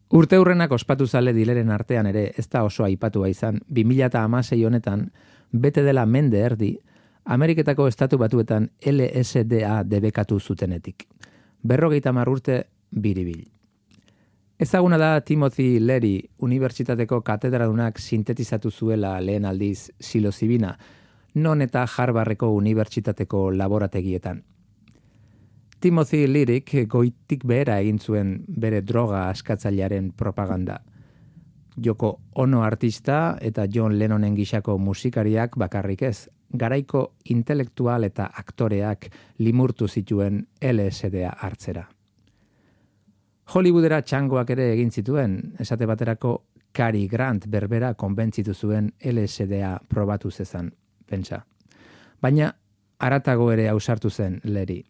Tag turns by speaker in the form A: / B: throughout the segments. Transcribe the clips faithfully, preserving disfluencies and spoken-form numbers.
A: Urteurrenak ospatu zale dileren artean ere ez da oso aipatua izan, bi mila hamasei honetan, bete dela mende erdi, Ameriketako estatu batuetan L S D A debekatu zutenetik. Berrogeita hamar urte biribil. Ezaguna da Timothy Leary unibertsitateko katedradunak sintetizatu zuela lehen aldiz psilozibina, non eta Harvardeko unibertsitateko laborategietan. Timothy Learyk goitik behera egin zuen bere droga askatzailearen propaganda. Yoko Ono artista eta John Lennonen gisako musikariak bakarrik ez, garaiko intelektual eta aktoreak limurtu zituen L S D A hartzera. Hollywoodera txangoak ere egin zituen, esate baterako Cary Grant berbera konbentzitu zuen L S D A probatu zezan, pentsa. Baina haratago ere ausartu zen Leary.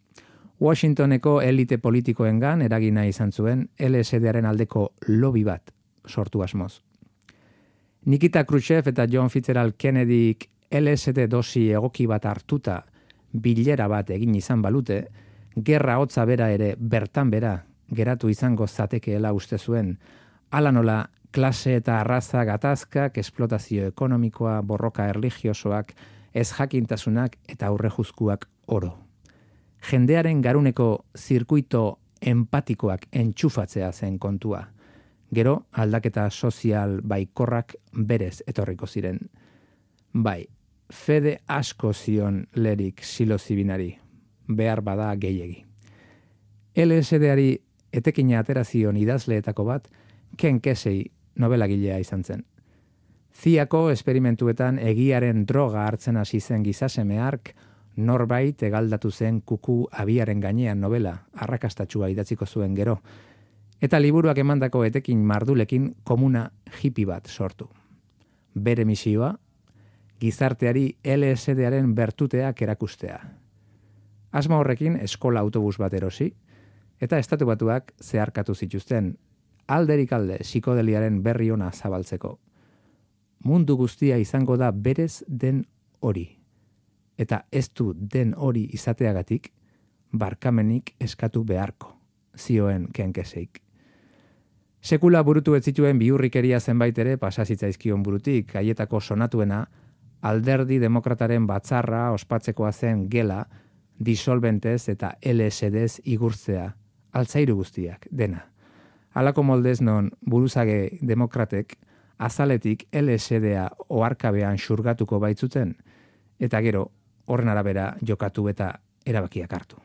A: Washingtoneko elite politikoengan eragina izan zuen L S D Aren aldeko lobby bat sortu asmoz. Nikita Khrushchev eta John Fitzgerald Kennedyk L S D dosi egoki bat hartuta bilera bat egin izan balute, gerra hotza bera ere bertan bera geratu izango zatekeela uste zuen, hala nola klase eta arraza gatazkak, esplotazio ekonomikoa, borroka erlijiosoak, ez jakintasunak eta aurrejuzkuak oro. Jendearen garuneko zirkuito empatikoak entxufatzea zen kontua. Gero, aldaketa sozial baikorrak berez etorriko ziren. Bai, fede asko zion Learyk psilozibinari, behar bada gehiegi. L S D-ari etekina atera zion idazleetako bat, Ken Kesey novelagilea izan zen. Ziako esperimentuetan egiaren droga hartzen hasi zen gizaseme hark, norbait egaldatu zen kuku abiaren gainean novela, arrakastatsua idatziko zuen gero, eta liburuak emandako etekin mardulekin komuna hippie bat sortu. Bere misioa, gizarteari L S D-aren bertuteak erakustea. Asma horrekin eskola autobus bat erosi, eta estatu batuak zeharkatu zituzten, alderik alde psikodeliaren berri ona zabaltzeko. Mundu guztia izango da berez den hori. Eta ez du den hori izateagatik, barkamenik eskatu beharko, zioen Ken Keseyk. Sekula burutu ez zituen bihurrikeria zenbait ere pasazitzaizkion burutik, haietako sonatuena, alderdi demokrataren batzarra ospatzekoa zen gela, disolbentez eta L S D-z igurtzea, altzairu guztiak, dena. Halako moldez non buruzage demokratek, azaletik L S D-a oharkabean xurgatuko baitzuten, eta gero, horren arabera jokatu eta erabakiak hartu.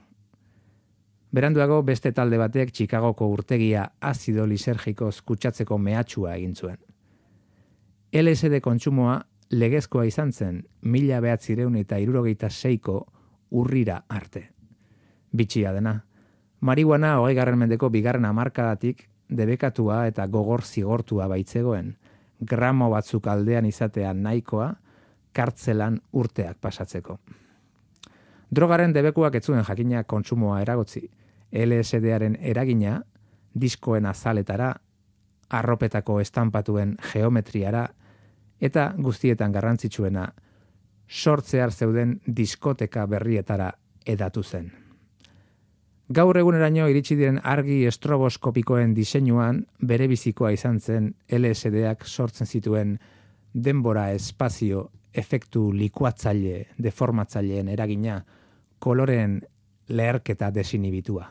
A: Beranduago beste talde batek Chicagoko urtegia azido lisergikoz kutsatzeko mehatxua egin zuen. L S D kontsumoa legezkoa izan zen mila bederatziehun eta hirurogeita seiko urrira arte. Bitxia dena, marihuana hogeigarren mendeko bigarren hamarkadatik debekatua eta gogor zigortua baitzegoen, gramo batzuk aldean izatea nahikoa, kartzelan urteak pasatzeko. Drogaren debekuak ez zuen jakina kontsumoa eragotzi, L S D-aren eragina, diskoen azaletara, arropetako estanpatuen geometriara, eta guztietan garrantzitsuena, sortzear zeuden diskoteka berrietara edatu zen. Gaur eguneraino iritsi diren argi estroboskopikoen diseinuan bere bizikoa izan zen L S D-ak sortzen zituen denbora espazio efektu likuatzaile, deformatzaileen eragina, koloreen leherketa desinibitua.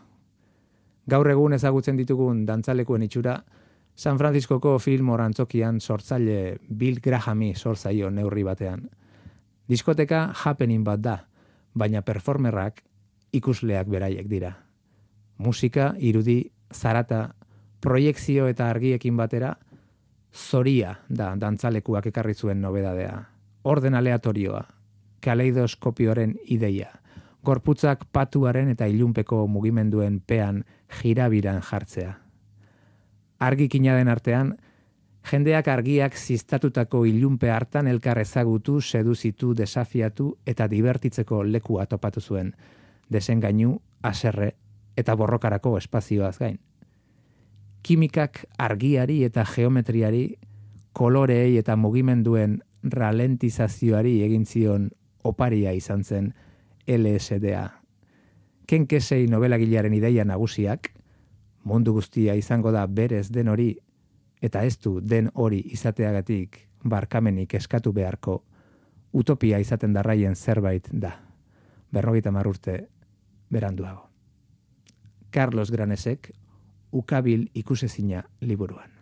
A: Gaur egun ezagutzen ditugun dantzalekuen itxura, San Franciscoko film orantzokian sortzaile Bill Grahami sortzaio neurri batean. Diskoteka happening bat da, baina performerrak ikusleak beraiek dira. Musika, irudi, zarata, proiekzio eta argiekin batera, zoria da dantzalekuak ekarri zuen nobedadea. Orden aleatorioa, kaleidoskopioaren ideia, gorputzak patuaren eta ilunpeko mugimenduen pean jirabiran jartzea. Argikina den artean, jendeak argiak ziztatutako ilunpe hartan elkar ezagutu, seduzitu, desafiatu eta divertitzeko lekua topatu zuen, desengainu, haserre eta borrokarako espazioaz gain. Kimikak argiari eta geometriari, koloreei eta mugimenduen ralentizazioari egin zion oparia izan zen L S D-a. Ken Kesey nobelagilearen ideia nagusiak, mundu guztia izango da berez den hori, eta ez du den hori izateagatik barkamenik eskatu beharko, utopia izaten darraien zerbait da, berrogeita hamar urte beranduago. Carlos Granesek, Ukabil ikusezina liburuan.